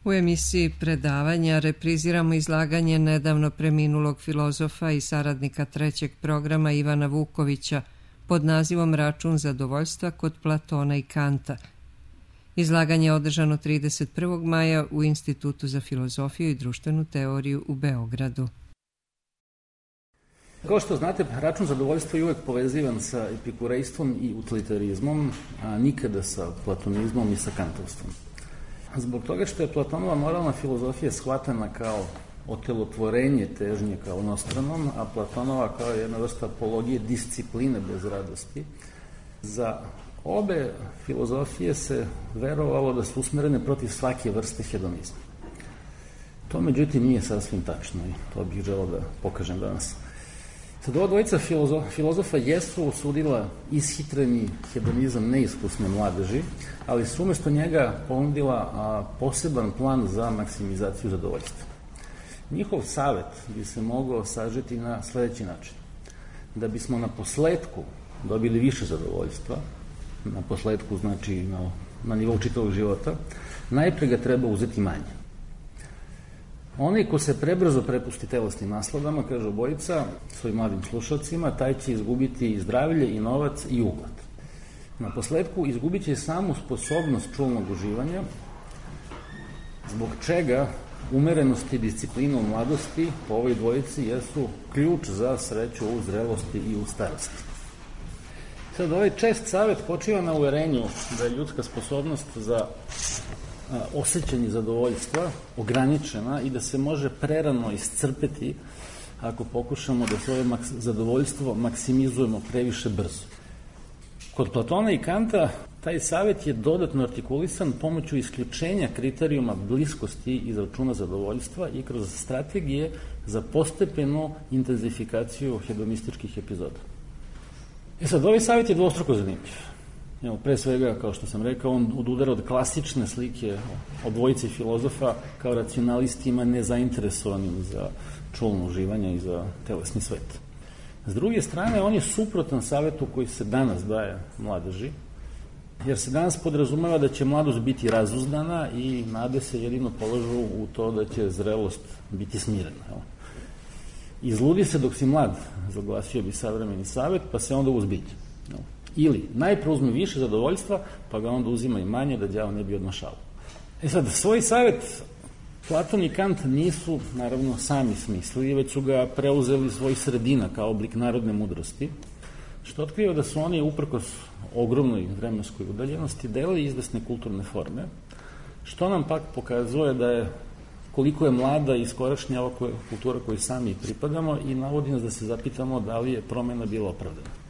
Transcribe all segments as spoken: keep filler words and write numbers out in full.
U emisiji Predavanja repriziramo izlaganje nedavno preminulog filozofa i saradnika trećeg programa Ivana Vukovića pod nazivom Račun zadovoljstva kod Platona i Kanta. Izlaganje je održano trideset prvog maja u Institutu za filozofiju i društvenu teoriju u Beogradu. Kao što znate, račun zadovoljstva je uvek povezivan sa epikurejstvom i utilitarizmom, a nikada sa platonizmom i sa kantovstvom. Zbog toga što je Platonova moralna filozofija shvatana kao otelotvorenje težnje kao onostranom, a Platonova kao jedna vrsta apologije discipline bez radosti, za obe filozofije se verovalo da su usmerene protiv svake vrste hedonizma. To međutim nije sasvim tačno i to bih želeo da pokažem danas. Sad, ova dvojica filozof, filozofa jesu osudila ishitreni hedonizam neiskusne mladeži, ali su umesto njega ponudila a, poseban plan za maksimizaciju zadovoljstva. Njihov savet bi se mogao sažeti na sledeći način. Da bismo na posledku dobili više zadovoljstva, na posledku znači na, na nivou čitavog života, najpre ga treba uzeti manje. Onaj ko se prebrzo prepusti telesnim nasladama, kaže obojica svojim mladim slušalcima, taj će izgubiti i zdravlje, i novac, i ugled. Na posledku izgubit će samu sposobnost čulnog uživanja, zbog čega umerenost i disciplina u mladosti po ovoj dvojici jesu ključ za sreću u zrelosti i u starosti. Sad, ovaj čest savet počiva na uverenju da je ljudska sposobnost za osjećanje zadovoljstva ograničena i da se može prerano iscrpeti ako pokušamo da svoje maks- zadovoljstvo maksimizujemo previše brzo. Kod Platona i Kanta taj savjet je dodatno artikulisan pomoću isključenja kriterijuma bliskosti iz računa zadovoljstva i kroz strategije za postepenu intenzifikaciju hedonističkih epizoda. E sad, ovaj savjet je dvostruko zanimljiv. Evo, pre svega, kao što sam rekao, on odudara od klasične slike o dvojici filozofa kao racionalistima nezainteresovanim za čulno uživanje i za telesni svet. S druge strane, on je suprotan savetu koji se danas daje mladeži, jer se danas podrazumeva da će mladost biti razuzdana i nade se jedino polažu u to da će zrelost biti smirena. Evo. Izludi se dok si mlad, zaglasio bi savremeni savet, pa se onda uzbilje. Evo. Ili najpre uzme više zadovoljstva, pa ga onda uzima i manje da đavo ne bi odmašao. E sad, svoj savjet Platon i Kant nisu, naravno, sami smislili, već su ga preuzeli svoj sredina kao oblik narodne mudrosti, što otkriva da su oni, uprkos ogromnoj vremenskoj udaljenosti, delili izvesne kulturne forme, što nam pak pokazuje da je koliko je mlada i iskorašnja ova kultura koju sami pripadamo i navodi nas da se zapitamo da li je promena bila opravdana.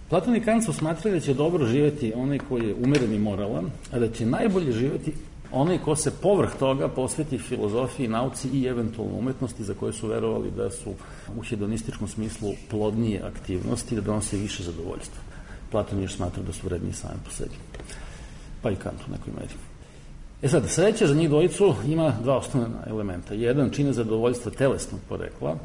Platon i Kant su smatrali da će dobro živeti onaj koji je umeren i moralan, a da će najbolje živeti onaj ko se povrh toga posveti filozofiji, nauci i eventualno umetnosti za koje su verovali da su u hedonističkom smislu plodnije aktivnosti, da donose više zadovoljstva. Platon još smatra da su vredniji sami po sebi. Pa i Kant u nekoj meri. E sad, sreća za njih dvojicu ima dva osnovna elementa. Jedan čine zadovoljstva telesnog porekla,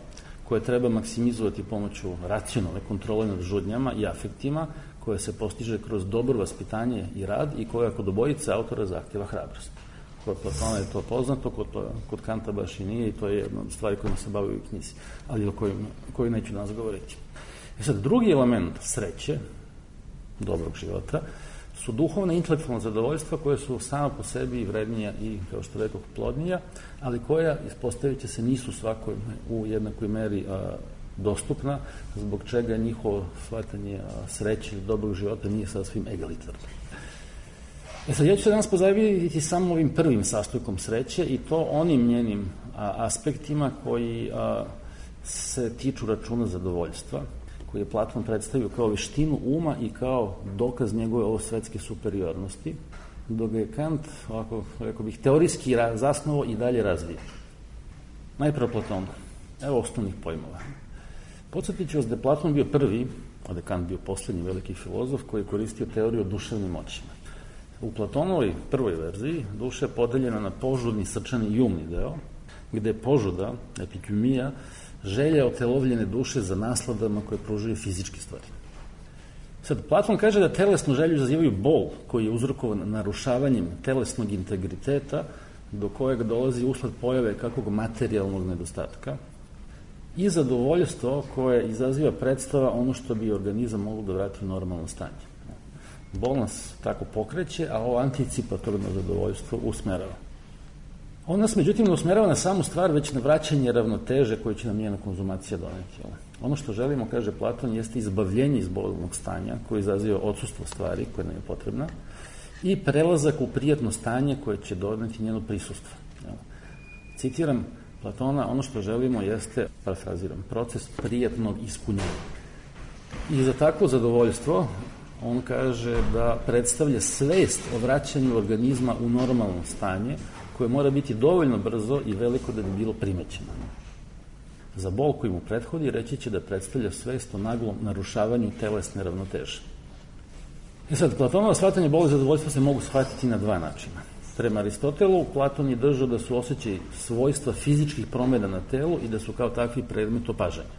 koje treba maksimizovati pomoću racionalne kontrole nad žudnjama i afektima, koje se postiže kroz dobro vaspitanje i rad i koja kod obojice autora zahtjeva hrabrost. Kod Platona je to poznato, kod, kod Kanta baš i nije i to je jedna od stvari kojima se bavaju u knjizi, ali o kojoj, kojoj neću danas govoriti. E sad, drugi element sreće, dobrog života, su duhovna i intelektualna zadovoljstva koje su sama po sebi i vrednija i, kao što rekao, plodnija, ali koja, ispostavit će se, nisu svakoj u jednakoj meri a, dostupna, zbog čega njihovo shvatanje a, sreće ili dobrog života nije sasvim egalitarno. E sad, ja ću se danas pozabaviti samo ovim prvim sastojkom sreće i to onim njenim a, aspektima koji a, se tiču računa zadovoljstva, koji je Platon predstavio kao veštinu uma i kao dokaz njegove ovosvetske superiornosti, dok je Kant, ovako, rekao bih, teorijski zasnovao i dalje razvija. Najprve Platon. Evo osnovnih pojmova. Podsjetit ću vas da je Platon bio prvi, a da je Kant bio poslednji veliki filozof koji je koristio teoriju o duševnim moćima. U Platonovoj prvoj verziji duša je podeljena na požudni, srčani i umni deo, gde je požuda, epikümija, želja otelovljene duše za nasladama koje pružaju fizičke stvari. Sad, Platon kaže da telesnu želju izazivaju bol koji je uzrokovan narušavanjem telesnog integriteta, do kojeg dolazi usled pojave kakvog materijalnog nedostatka i zadovoljstvo koje izaziva predstava ono što bi organizam moglo da vrati u normalno stanje. Bol nas tako pokreće, a ovo anticipatorno zadovoljstvo usmerava. On nas, međutim, ne usmerava na samu stvar, već na vraćanje ravnoteže koje će nam njena konzumacija doneti. Ono što želimo, kaže Platon, jeste izbavljenje iz bolnog stanja koje izaziva odsustvo stvari koje nam je potrebna i prelazak u prijatno stanje koje će doneti njeno prisustvo. Citiram Platona, ono što želimo jeste, parafraziram, proces prijatnog ispunjenja. I za takvo zadovoljstvo on kaže da predstavlja svest o vraćanju organizma u normalno stanje koje mora biti dovoljno brzo i veliko da bi bilo primećeno. Za bol koji mu prethodi reći će da predstavlja svest o naglom narušavanju telesne ravnoteže. I sad, Platonovo shvatanje boli i zadovoljstva se mogu shvatiti na dva načina. Prema Aristotelu, Platon je držao da su osjećaji svojstva fizičkih promjena na telu i da su kao takvi predmet opažanja.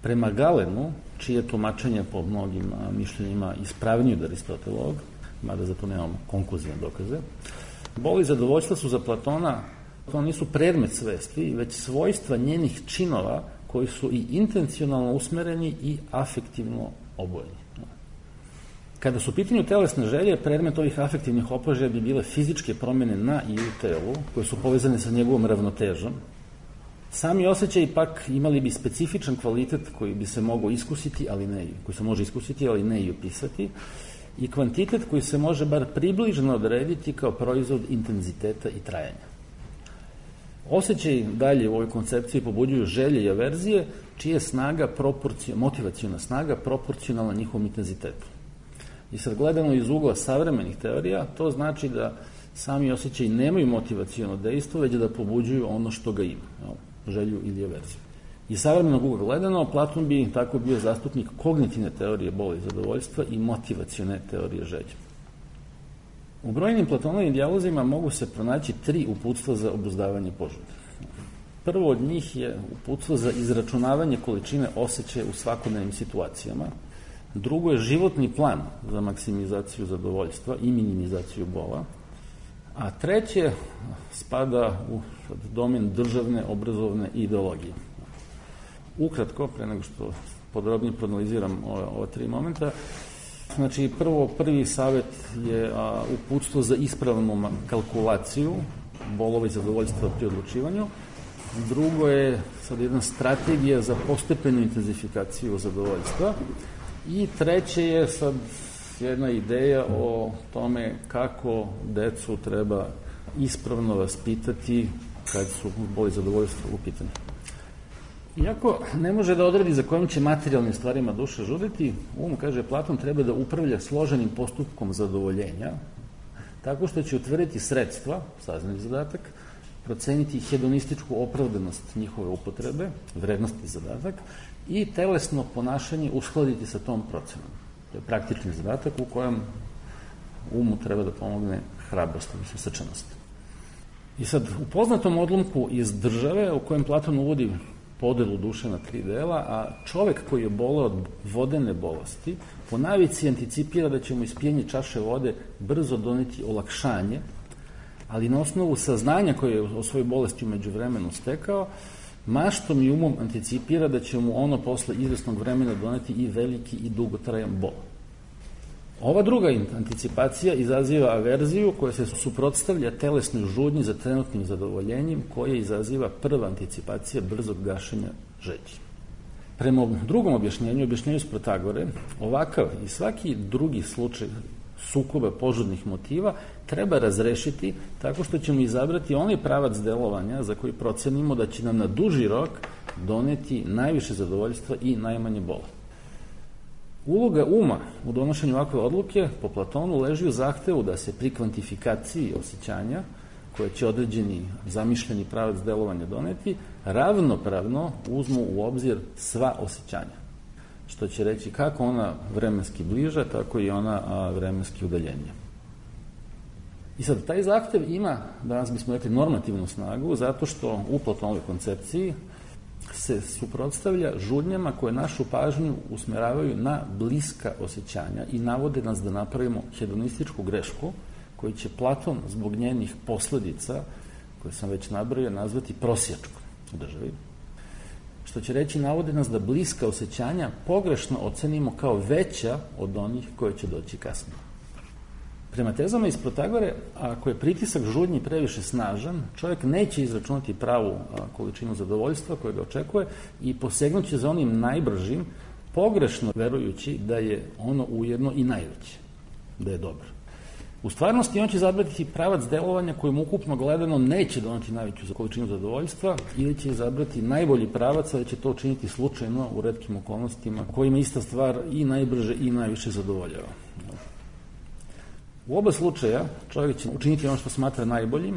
Prema Galenu, čije tumačenje po mnogim mišljenjima ispravnije od Aristotelovog, mada za to nemamo konkluzivne dokaze, bol i zadovoljstva su za Platona, to nisu predmet svesti, već svojstva njenih činova koji su i intencionalno usmereni i afektivno obojeni. Kada su u pitanju telesne želje, predmet ovih afektivnih opažaja bi bile fizičke promjene na i u telu, koje su povezane sa njegovom ravnotežom. Sami osjećaji pak imali bi specifičan kvalitet koji bi se mogao iskusiti, ali ne, koji se može iskusiti, ali ne i opisati, i kvantitet koji se može bar približno odrediti kao proizvod intenziteta i trajanja. Osjećaji dalje u ovoj koncepciji pobuđuju želje i averzije, čija je snaga, motivacijona snaga proporcionalna njihovom intenzitetu. I sad gledano iz ugla savremenih teorija, to znači da sami osjećaji nemaju motivaciono dejstvo, već da pobuđuju ono što ga ima, želju ili averziju. Iz savremenog ugla gledano, Platon bi tako bio zastupnik kognitivne teorije boli i zadovoljstva i motivacione teorije želje. U brojnim Platonovim dijalozima mogu se pronaći tri uputstva za obuzdavanje požude. Prvo od njih je uputstvo za izračunavanje količine osjećaja u svakodnevnim situacijama. Drugo je životni plan za maksimizaciju zadovoljstva i minimizaciju bola. A treće spada u domen državne, obrazovne ideologije. Ukratko, pre nego što podrobnije proanaliziram ova, ova tri momenta, znači prvo, prvi savjet je a, uputstvo za ispravnu kalkulaciju bolova i zadovoljstva pri odlučivanju. Drugo je sad jedna strategija za postepenu intenzifikaciju zadovoljstva. I treće je sad jedna ideja o tome kako decu treba ispravno vaspitati kad su bol i zadovoljstvo u pitanju. Iako ne može da odredi za kojim će materijalnim stvarima duša žuditi, um, kaže Platon, treba da upravlja složenim postupkom zadovoljenja, tako što će utvrditi sredstva, saznati zadatak, proceniti hedonističku opravdanost njihove upotrebe, vrednosti zadatak, i telesno ponašanje uskladiti sa tom procenom. To je praktični zadatak u kojem umu treba da pomogne hrabrost, odnosno srčanost. I sad, u poznatom odlomku iz Države, u kojem Platon uvodi podelu duše na tri dela, a čovek koji je boleo od vodene bolesti, po navici anticipira da će mu ispijenje čaše vode brzo doneti olakšanje, ali na osnovu saznanja koje je o svojoj bolesti umeđu vremenu stekao, maštom i umom anticipira da će mu ono posle izvesnog vremena doneti i veliki i dugotrajan bol. Ova druga anticipacija izaziva averziju koja se suprotstavlja telesnoj žudnji za trenutnim zadovoljenjem koje izaziva prva anticipacija brzog gašenja želji. Prema drugom objašnjenju, objašnjenju s Protagore, ovakav i svaki drugi slučaj sukoba požudnih motiva treba razrešiti tako što ćemo izabrati onaj pravac delovanja za koji procenimo da će nam na duži rok doneti najviše zadovoljstva i najmanje bola. Uloga uma u donošenju ovakve odluke po Platonu leži u zahtevu da se pri kvantifikaciji osjećanja, koje će određeni zamišljeni pravac delovanja doneti, ravnopravno uzmu u obzir sva osjećanja. Što će reći kako ona vremenski bliža, tako i ona a, vremenski udaljenija. I sad, taj zahtev ima, danas bismo rekli, normativnu snagu, zato što u Platonovoj koncepciji se suprotstavlja žudnjama koje našu pažnju usmeravaju na bliska osjećanja i navode nas da napravimo hedonističku grešku koji će Platon zbog njenih posledica, koje sam već nabrojio, nazvati prosjačkom u državi, što će reći navode nas da bliska osjećanja pogrešno ocenimo kao veća od onih koje će doći kasnije. Prema tezama iz Protagore, ako je pritisak žudnji previše snažan, čovjek neće izračunati pravu količinu zadovoljstva koje ga očekuje i posegnuće za onim najbržim, pogrešno verujući da je ono ujedno i najveće, da je dobro. U stvarnosti on će izabrati pravac delovanja kojim ukupno gledano neće doneti najveću količinu zadovoljstva ili će izabrati najbolji pravac, ali će to učiniti slučajno u retkim okolnostima kojima ista stvar i najbrže i najviše zadovoljava. U oba slučaja čovjek će učiniti ono što smatra najboljim,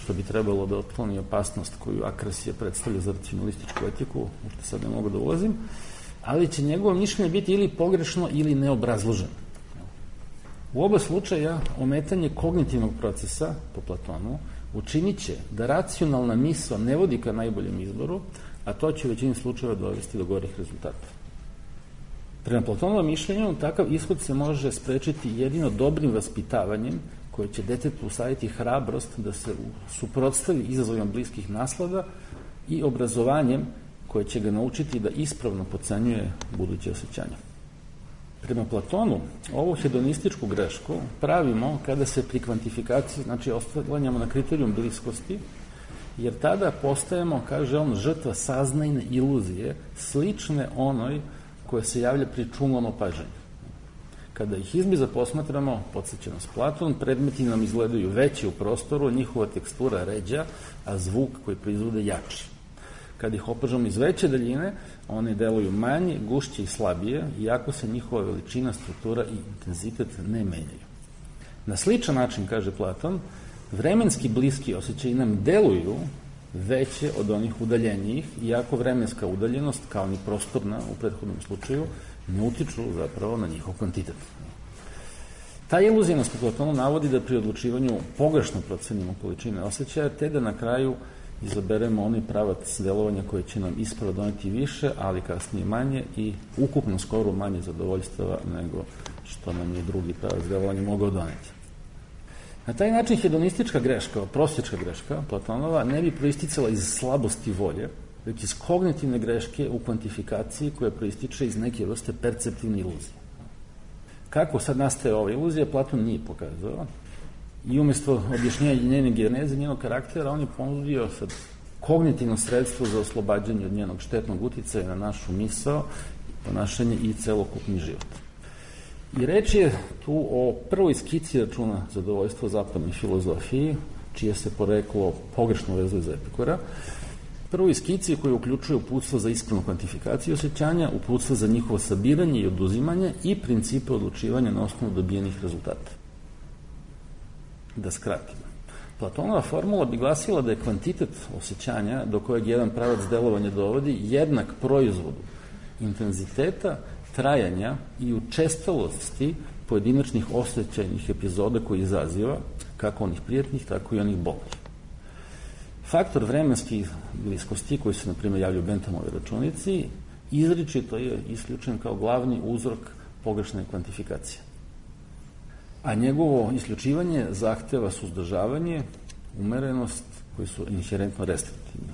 što bi trebalo da otkloni opasnost koju Akrasija predstavlja za racionalističku etiku, u što sad ne mogu da ulazim, ali će njegovo mišljenje biti ili pogrešno ili neobrazloženo. U oba slučaja ometanje kognitivnog procesa, po Platonu, učinit će da racionalna misao ne vodi ka najboljem izboru, a to će u većini slučajeva dovesti do gorih rezultata. Prema Platonovom mišljenju, takav ishod se može sprečiti jedino dobrim vaspitavanjem koje će detetu usaditi hrabrost da se suprotstavi izazovima bliskih naslada i obrazovanjem koje će ga naučiti da ispravno procenjuje buduće osjećanja. Prema Platonu, ovu hedonističku grešku pravimo kada se pri kvantifikaciji, znači oslanjamo na kriterijum bliskosti, jer tada postajemo, kaže on, žrtva saznajne iluzije, slične onoj koja se javlja pri čulnom opažanju. Kada ih izbliza posmatramo, podsjeća nas Platon, predmeti nam izgledaju veći u prostoru, njihova tekstura ređa, a zvuk koji proizvode jači. Kada ih opažamo iz veće daljine, one deluju manje, gušće i slabije, iako se njihova veličina, struktura i intenzitet ne menjaju. Na sličan način, kaže Platon, vremenski bliski osjećaji nam deluju veće od onih udaljenijih, iako vremenska udaljenost, kao ni prostorna u prethodnom slučaju, ne utiču zapravo na njihov kvantitet. Ta iluzija nas po Platonu navodi da pri odlučivanju pogrešno procenimo količine osjećaja, te da na kraju izaberemo onaj pravac delovanja koji će nam ispravo doneti više, ali kasnije manje i ukupno skoro manje zadovoljstava nego što nam je drugi pravac delovanja mogao doneti. Na taj način hedonistička greška, prosječka greška Platonova, ne bi proisticala iz slabosti volje, već iz kognitivne greške u kvantifikaciji koja proističe iz neke vrste perceptivne iluzije. Kako sad nastaje ova iluzija, Platon nije pokazao. I umjesto objašnjenja njene geneze, njenog karaktera, on je ponudio sad kognitivno sredstvo za oslobađanje od njenog štetnog uticaja na našu misao, ponašanje i celokupni život. I reč je tu o prvoj skici računa zadovoljstva u zapadnoj filozofiji, čije se poreklo pogrešno vezuje za Epikura. Prvoj skici koji uključuje uputstvo za ispravnu kvantifikaciju osjećanja, uputstvo za njihovo sabiranje i oduzimanje i principe odlučivanja na osnovu dobijenih rezultata. Da skratimo. Platonova formula bi glasila da je kvantitet osjećanja do kojeg jedan pravac delovanja dovodi jednak proizvodu intenziteta, trajanja i učestalosti pojedinačnih osjećajnih epizoda koji izaziva, kako onih prijatnih, tako i onih bolnih. Faktor vremenskih bliskosti koji se, na primjer, javlja u Benthamovoj računici, izričito je isključen kao glavni uzrok pogrešne kvantifikacije. A njegovo isključivanje zahteva suzdržavanje, umerenost, koji su inherentno restriktivni.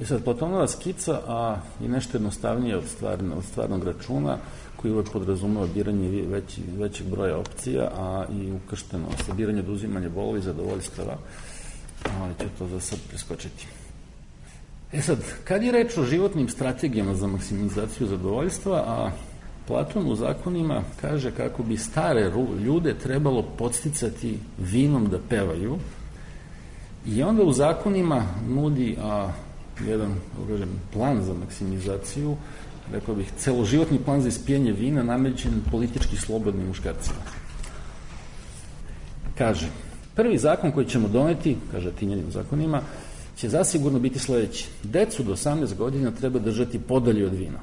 I sad, Platonova skica a, je nešto jednostavnije od, stvarne, od stvarnog računa, koji uvek podrazumeva biranje veći, većeg broja opcija, a i ukršteno sabiranje, oduzimanje bolova i zadovoljstava, ali ću to za sad preskočiti. E sad, kad je reč o životnim strategijama za maksimizaciju zadovoljstva, a Platon u zakonima kaže kako bi stare ljude trebalo podsticati vinom da pevaju i onda u zakonima nudi a, jedan kažem, plan za maksimizaciju, rekao bih, celoživotni plan za ispijanje vina namećen politički slobodnim muškarcima. Kaže, prvi zakon koji ćemo doneti, kaže Tinjanim zakonima, će zasigurno biti sledeći. Decu do osamnaest godina treba držati podalje od vina.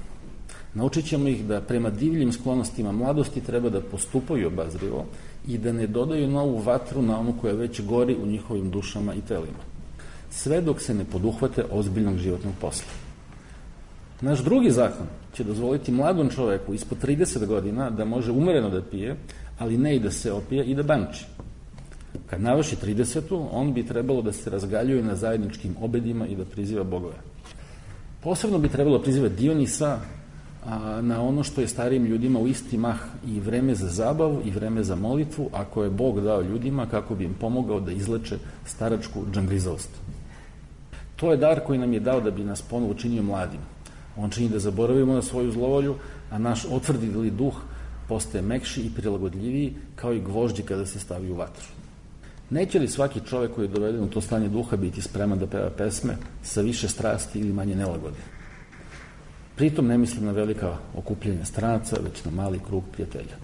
Naučit ćemo ih da prema divljim sklonostima mladosti treba da postupaju obazrivo i da ne dodaju novu vatru na onu koja već gori u njihovim dušama i telima. Sve dok se ne poduhvate ozbiljnog životnog posla. Naš drugi zakon će dozvoliti mladom čoveku ispod trideset godina da može umereno da pije, ali ne i da se opije i da banči. Kad navrši tridesetu, on bi trebalo da se razgaljuje na zajedničkim obedima i da priziva bogove. Posebno bi trebalo prizivati Dionisa a, na ono što je starijim ljudima u isti mah i vreme za zabavu i vreme za molitvu, ako je Bog dao ljudima kako bi im pomogao da izleče staračku džangrizavost. To je dar koji nam je dao da bi nas ponovo učinio mladim. On čini da zaboravimo na svoju zlovolju, a naš otvrdili duh postaje mekši i prilagodljiviji kao i gvožđi kada se stavi u vatru. Neće li svaki čovek koji je doveden u to stanje duha biti spreman da peva pesme sa više strasti ili manje nelagode? Pritom ne mislim na velika okupljenja stranaca, već na mali krug prijatelja.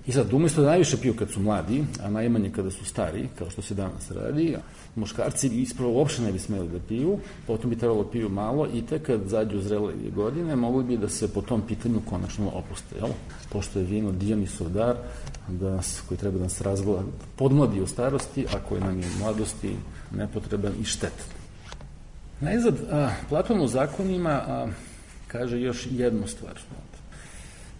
I sad, umjesto da najviše piju kad su mladi, a najmanje kada su stari, kao što se danas radi, muškarci ispravo uopšte ne bi smeli da piju, potom bi trebalo piju malo i tek kad zađu zrele godine, mogli bi da se po tom pitanju konačno opuste, jel? Pošto je vino Dionisov dar, da nas, koji treba da nas razgleda, podmladi u starosti, a koji nam je u mladosti nepotreban i štetan. Najzad, a, Platon u zakonima a, kaže još jednu stvar.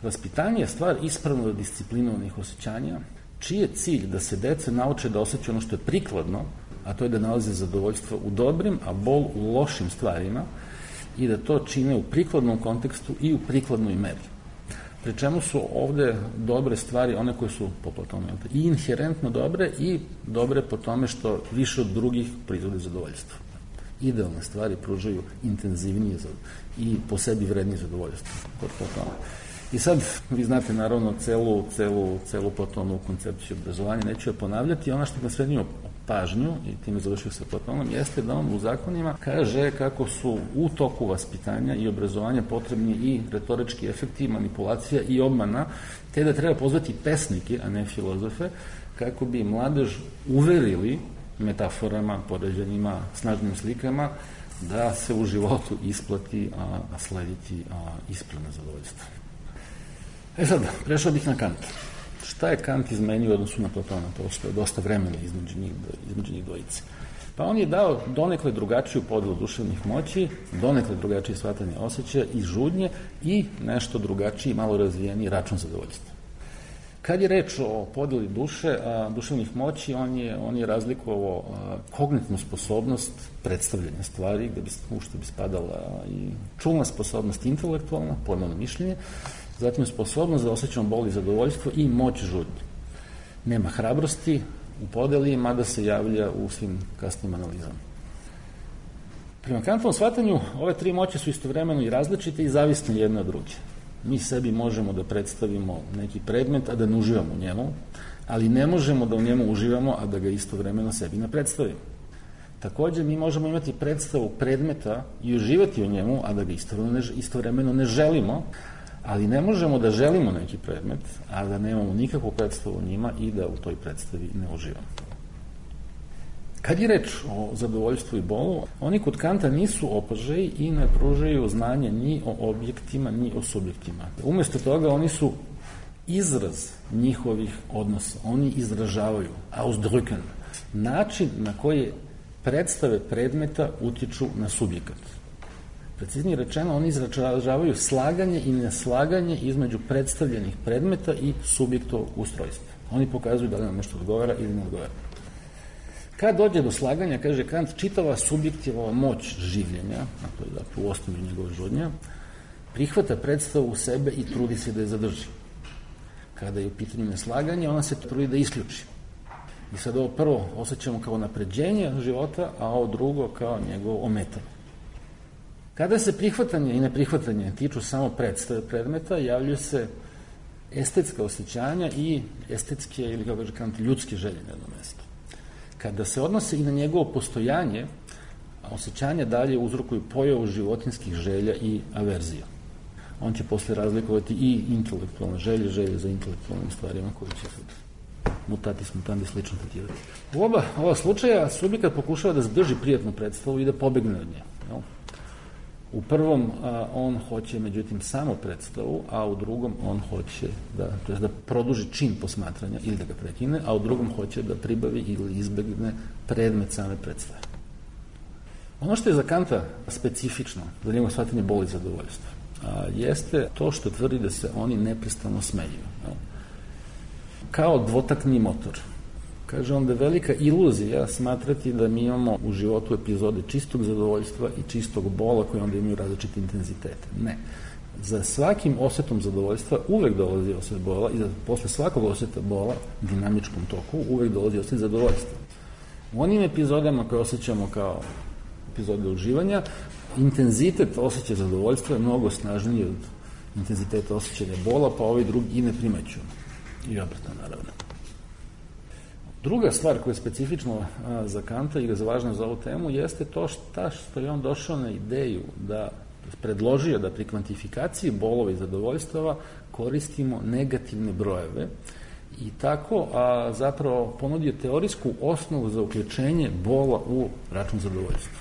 Vaspitanje je stvar ispravno disciplinovanih osjećanja, čiji je cilj da se deca nauče da osjećaju ono što je prikladno, a to je da nalaze zadovoljstvo u dobrim, a bol u lošim stvarima i da to čine u prikladnom kontekstu i u prikladnoj meri. Pri čemu su ovde dobre stvari, one koje su po Platonu i inherentno dobre i dobre po tome što više od drugih proizvode zadovoljstvo. Idealne stvari pružaju intenzivnije i po sebi vrednije zadovoljstvo kod Platona. I sad, vi znate naravno celu, celu, celu Platonovu koncepciju obrazovanja, neću je ponavljati, ona što me srednio pažnju, i time završio sa Platonom, jeste da on u zakonima kaže kako su u toku vaspitanja i obrazovanja potrebni i retorički efekti, manipulacija i obmana, te da treba pozvati pesnike, a ne filozofe, kako bi mladež uverili metaforama, poređenjima, snažnim slikama, da se u životu isplati a, a slediti a, ispravno zadovoljstvo. E sad, prešao bih na Kanta. Šta je Kant izmenio u odnosu na Platona? To je dosta vremena između njih, između njih dvojice. Pa on je dao donekle drugačiju podelu duševnih moći, donekle drugačije shvatanje osjećaja i žudnje i nešto drugačiji, malo razvijeniji račun zadovoljstva. Kad je reč o podeli duše, a, duševnih moći, on je, on je razlikovao a, kognitivnu sposobnost predstavljanja stvari, gde bi, u što bi spadala i čulna sposobnost intelektualna, pojmovno mišljenje, zatim sposobnost da osjećamo bol i zadovoljstvo i moć žudnje. Nema hrabrosti u podeli, mada se javlja u svim kasnim analizama. Prema Kantovom shvatanju, ove tri moći su istovremeno i različite i zavisne jedne od druge. Mi sebi možemo da predstavimo neki predmet, a da ne uživamo u njemu, ali ne možemo da u njemu uživamo, a da ga istovremeno sebi ne predstavimo. Takođe, mi možemo imati predstavu predmeta i uživati u njemu, a da ga istovremeno ne, istovremeno ne želimo, ali ne možemo da želimo neki predmet, a da nemamo nikakvu predstavu o njima i da u toj predstavi ne uživamo. Kad je reč o zadovoljstvu i bolu, oni kod Kanta nisu opažaji i ne pružaju znanje ni o objektima, ni o subjektima. Umesto toga, oni su izraz njihovih odnosa. Oni izražavaju, ausdrücken, način na koji predstave predmeta utiču na subjekat. Preciznije rečeno, oni izražavaju slaganje i neslaganje između predstavljenih predmeta i subjektovog ustrojstva. Oni pokazuju da li nam nešto odgovara ili ne odgovara. Kad dođe do slaganja, kaže Kant, čitava subjektivova moć življenja, a to je dakle u osnovi njegove žudnja, prihvata predstavu u sebe i trudi se da je zadrži. Kada je u pitanju neslaganje, ona se trudi da isključi. I sad ovo prvo osjećamo kao napređenje života, a ovo drugo kao njegovo ometanje. Kada se prihvatanje i neprihvatanje tiču samo predstave predmeta, javljaju se estetska osjećanja i estetske, ili kako kaže Kant, ljudske želje na jednom mestu. Kada se odnose i na njegovo postojanje, osjećanja dalje uzrokuju pojavu životinskih želja i averzija. On će posle razlikovati i intelektualne želje, želje za intelektualnim stvarima koji će sad mutatis mutandis slično tretirati. U oba ova slučaja subjekat pokušava da zadrži prijatnu predstavu i da pobegne od nje. Jel? U prvom a, on hoće, međutim, samo predstavu, a u drugom on hoće da, to je da produži čin posmatranja ili da ga prekine, a u drugom hoće da pribavi ili izbegne predmet same predstave. Ono što je za Kanta specifično, za njegovo shvatanje boli zadovoljstva, a, jeste to što tvrdi da se oni neprestano smeju. Jel? Kao dvotakni motor. Kaže on da je velika iluzija smatrati da mi imamo u životu epizode čistog zadovoljstva i čistog bola koje onda imaju različite intenzitete. Ne. Za svakim osetom zadovoljstva uvek dolazi oset bola i da posle svakog oseta bola, dinamičkom toku, uvek dolazi oset zadovoljstva. U onim epizodama koje osjećamo kao epizode uživanja, intenzitet osjećaja zadovoljstva je mnogo snažniji od intenziteta osjećanja bola, pa ovaj drugi i ne primećuju. I obratno, naravno. Druga stvar koja je specifična za Kanta i je važna za ovu temu jeste to šta što je on došao na ideju da predložio da pri kvantifikaciji bolova i zadovoljstava koristimo negativne brojeve i tako a, zapravo ponudio teorijsku osnovu za uključenje bola u račun zadovoljstva.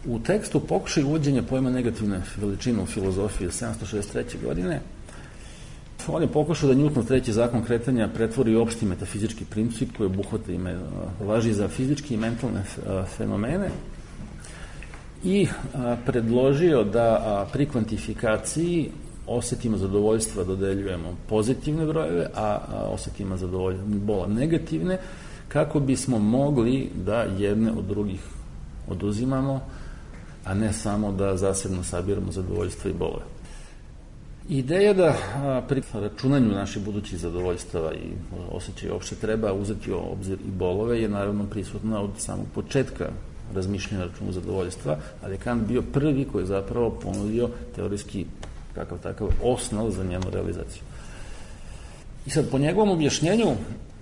U tekstu Pokušaj uvođenja pojma negativne veličine u filozofiji sedamsto šezdeset treće. godine on je pokušao da Newtonov treći zakon kretanja pretvori u opšti metafizički princip koji obuhvata i važi za fizičke i mentalne fenomene i predložio da pri kvantifikaciji osetima zadovoljstva dodeljujemo pozitivne brojeve, a osetima zadovoljstva bola negativne, kako bismo mogli da jedne od drugih oduzimamo, a ne samo da zasebno sabiramo zadovoljstva i bolove. Ideja da pri računanju naših budućih zadovoljstava i osjećaja uopšte treba uzeti u obzir i bolove je naravno prisutna od samog početka razmišljanja računu zadovoljstva, ali je Kant bio prvi koji je zapravo ponudio teorijski kakav takav osnov za njenu realizaciju. I sad, po njegovom objašnjenju,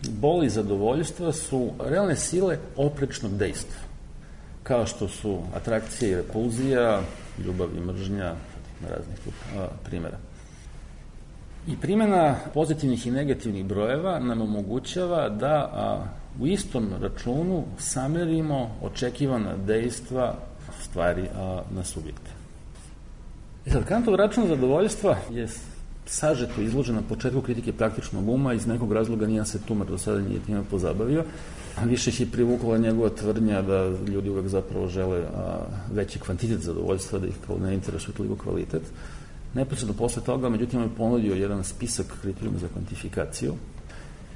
bol i zadovoljstva su realne sile oprečnog dejstva, kao što su atrakcija i repulzija, ljubav i mržnja, raznih primjera. I primjena pozitivnih i negativnih brojeva nam omogućava da a, u istom računu samerimo očekivana dejstva stvari a, na subjekte. I sad, Kantov račun zadovoljstva je sažeto izložen na početku kritike praktičnog uma, iz nekog razloga nijedan se tumar do sada nije time pozabavio, a više ih je privukla njegova tvrdnja da ljudi uvek zapravo žele a, veći kvantitet zadovoljstva, da ih ne interesuje toliko kvalitet. Neposredno posle toga, međutim, on je ponudio jedan spisak kriterijuma za kvantifikaciju.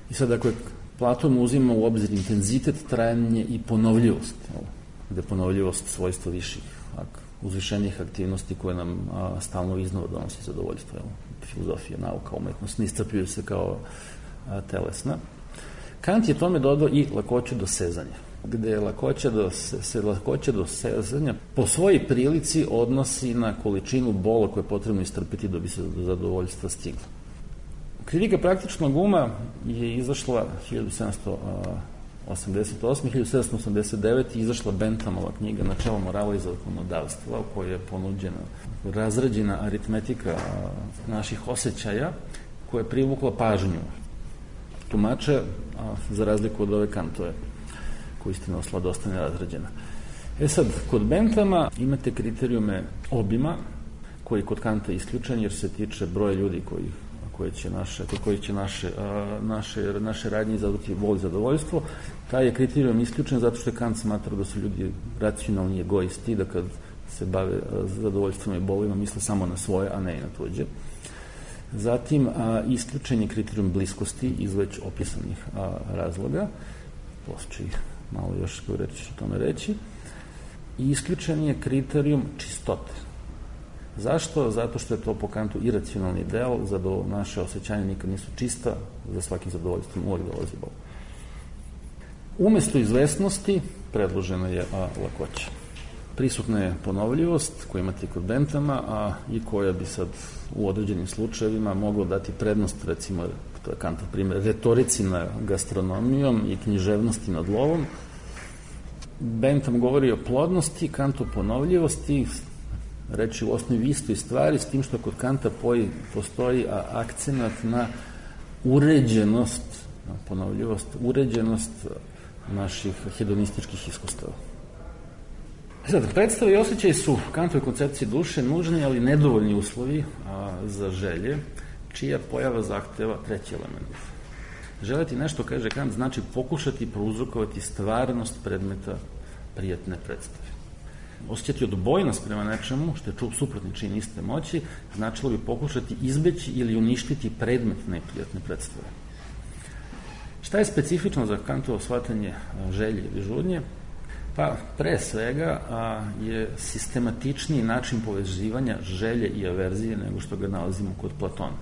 I sad, dakle, Platon uzima u obzir intenzitet, trajanje i ponovljivost, gde je ponovljivost svojstvo viših, uzvišenih aktivnosti koje nam a, stalno iznova donosi zadovoljstvo. Evo, filozofija, nauka, umetnost ne iscrpljuju se kao a, telesna. Kant je tome dodao i lakoću dosezanja, gde je lakoća do, se lakoća dosezanja po svojoj prilici odnosi na količinu bola koje je potrebno istrpiti da bi se do zadovoljstva stiglo. Kritika praktičnog uma je izašla hiljadu sedamsto osamdeset osme. hiljadu sedamsto osamdeset devete. izašla Benthamova knjiga Načelo morala i zakonodavstva, u kojoj je ponuđena razrađena aritmetika naših osjećaja koja je privukla pažnju tumača, za razliku od ove Kantove, koja istina osla dosta nerazrađena. E sad, kod Benthama imate kriterijume obima, koji je kod Kanta isključen, jer se tiče broja ljudi koji, koje će naše, koji će naše, naše, naše radnje izazvati bol i zadovoljstvo. Taj je kriterijum isključen zato što je Kant smatrao da su ljudi racionalni egoisti, da kad se bave zadovoljstvom i bolima misle samo na svoje, a ne i na tuđe. Zatim, a, isključen je kriterijum bliskosti iz već opisanih a, razloga, postoji malo još koju reći ću o tome reći, i isključen je kriterijum čistote. Zašto? Zato što je to po Kantu iracionalni deo, za do naše osjećanja nikad nisu čista, za svakim zadovoljstvom uvijek dolazi bol. Umesto izvesnosti predložena je a, lakoća. Prisutna je ponovljivost koju imate kod Benthama, a i koja bi sad u određenim slučajevima mogla dati prednost, recimo, to je Kantov primjer, retorici nad gastronomijom i književnosti nad lovom. Bentham govori o plodnosti, Kant o ponovljivosti, reći u osnovi istoj stvari, s tim što kod Kanta postoji akcenat na uređenost, na ponovljivost, uređenost naših hedonističkih iskustava. Sad, predstave i osjećaj su Kantove koncepcije duše nužni, ali nedovoljni uslovi a, za želje, čija pojava zahteva treći element. Želeti nešto, kaže Kant, znači pokušati prouzrokovati stvarnost predmeta prijatne predstave. Osjećati odbojnost prema nečemu, što je čup suprotni čin iste moći, značilo bi pokušati izbeći ili uništiti predmet neprijatne predstave. Šta je specifično za Kantovo shvatanje želje ili žudnje? Pa, pre svega a, je sistematičniji način povezivanja želje i averzije nego što ga nalazimo kod Platona.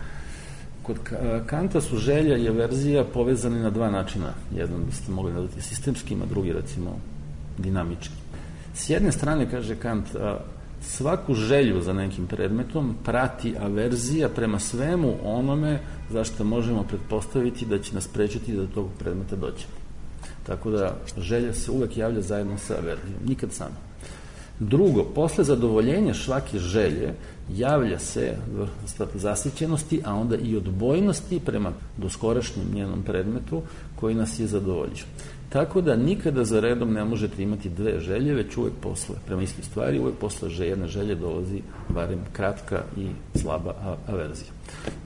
Kod Kanta su želja i averzija povezani na dva načina. Jedan biste mogli nazvati sistemskim, a drugi, recimo, dinamički. S jedne strane, kaže Kant, a, svaku želju za nekim predmetom prati averzija prema svemu onome zašto možemo pretpostaviti da će nas sprečiti da do tog predmeta dođemo. Tako da želja se uvek javlja zajedno sa averzijom, nikad samo. Drugo, posle zadovoljenja svake želje javlja se zasićenosti, a onda i odbojnosti prema doskorašnjem njenom predmetu koji nas je zadovoljio. Tako da nikada za redom ne možete imati dve želje, već uvek posle, prema istoj stvari, uvek posle jedne želje dolazi barem kratka i slaba averzija.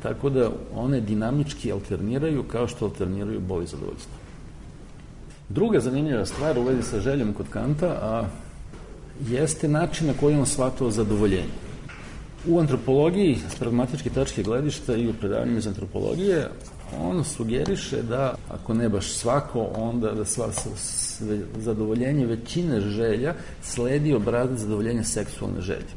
Tako da one dinamički alterniraju kao što alterniraju bol i zadovoljstvo. Druga zanimljiva stvar u vezi sa željom kod Kanta a, jeste način na koji on shvatao zadovoljenje. U antropologiji, s pragmatičke tačke gledišta i u predavanjima iz antropologije, on sugeriše da, ako ne baš svako, onda da sva, sve, zadovoljenje većine želja sledi obrazac zadovoljenja seksualne želje.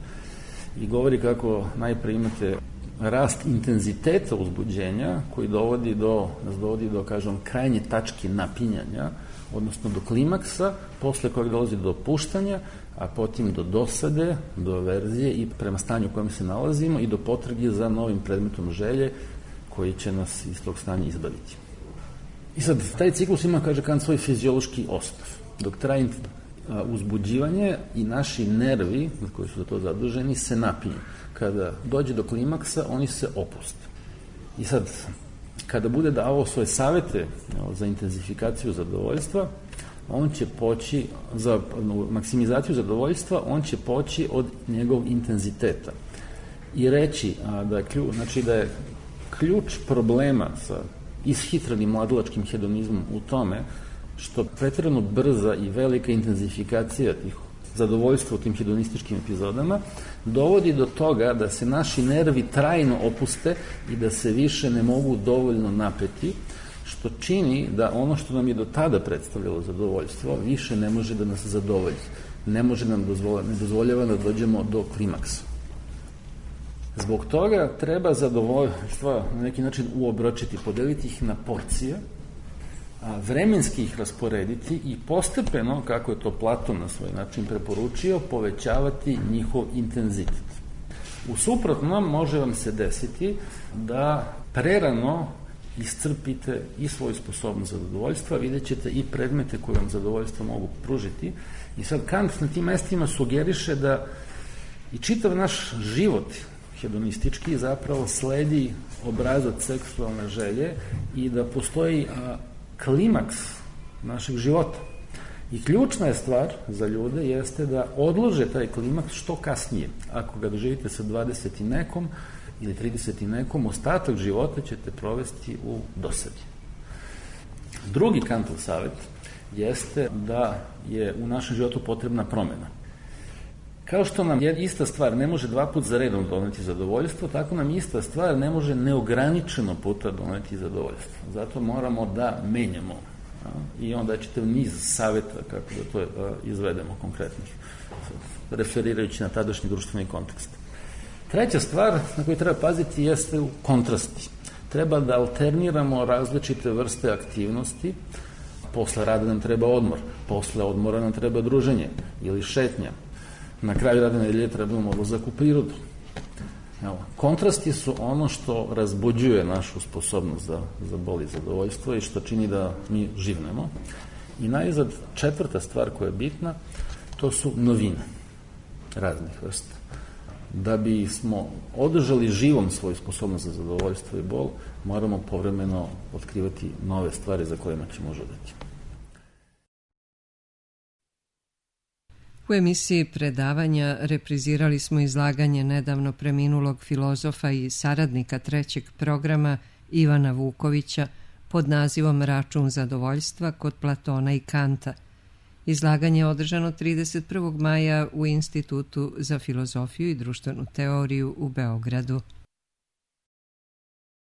I govori kako najpre imate rast intenziteta uzbuđenja koji dovodi do, nas dovodi do, kažem, krajnje tačke napinjanja, odnosno do klimaksa, posle kojeg dolazi do opuštanja, a potom do dosade, do averzije i prema stanju u kojem se nalazimo i do potrage za novim predmetom želje koji će nas iz tog stanja izbaviti. I sad, taj ciklus ima, kaže Kant, svoj fiziološki osnov. Dok traje uzbuđivanje i naši nervi, koji su za to zaduženi, se napinju. Kada dođe do klimaksa, oni se opuste. I sad, kada bude davao svoje savete za intenzifikaciju zadovoljstva, on će poći, za maksimizaciju zadovoljstva, on će poći od njegovog intenziteta. I reći a, da, je ključ, znači da je ključ problema sa ishitrenim mladalačkim hedonizmom u tome što pretjerano brza i velika intenzifikacija tih zadovoljstva u tim hedonističkim epizodama dovodi do toga da se naši nervi trajno opuste i da se više ne mogu dovoljno napeti, što čini da ono što nam je do tada predstavljalo zadovoljstvo više ne može da nas zadovolji. Ne može nam dozvoljava, ne dozvoljava da dođemo do klimaksa. Zbog toga treba zadovoljstva na neki način uobročiti, podeliti ih na porcije, a vremenski ih rasporediti i postepeno, kako je to Platon na svoj način preporučio, povećavati njihov intenzitet. U suprotnom može vam se desiti da prerano iscrpite i svoju sposobnost za zadovoljstva, vidjet ćete i predmete koje vam zadovoljstvo mogu pružiti. I sad Kant na tim mestima sugeriše da i čitav naš život hedonistički zapravo sledi obrazac seksualne želje i da postoji a, klimaks našeg života. I ključna je stvar za ljude jeste da odlože taj klimaks što kasnije. Ako ga doživite sa dvadeset i nekom ili trideset i nekom, ostatak života ćete provesti u dosadi. Drugi Kantov savet jeste da je u našem životu potrebna promena. Kao što nam ista stvar ne može dva put za redom doneti zadovoljstvo, tako nam ista stvar ne može neograničeno puta doneti zadovoljstvo. Zato moramo da menjamo. I onda je čitav niz saveta kako da to izvedemo konkretnih, referirajući na tadašnji društveni kontekst. Treća stvar na koju treba paziti jeste u kontrasti. Treba da alterniramo različite vrste aktivnosti. Posle rada nam treba odmor, posle odmora nam treba druženje ili šetnja. Na kraju radne nedelje trebamo odlazak u prirodu. Evo, kontrasti su ono što razbuđuje našu sposobnost za, za bol i zadovoljstvo i što čini da mi živnemo. I najzad četvrta stvar koja je bitna, to su novine raznih vrsta. Da bi smo održali živom svoju sposobnost za zadovoljstvo i bol, moramo povremeno otkrivati nove stvari za kojima ćemo žudeti. U emisiji predavanja reprizirali smo izlaganje nedavno preminulog filozofa i saradnika trećeg programa Ivana Vukovića pod nazivom Račun zadovoljstva kod Platona i Kanta. Izlaganje je održano trideset prvog maja u Institutu za filozofiju i društvenu teoriju u Beogradu.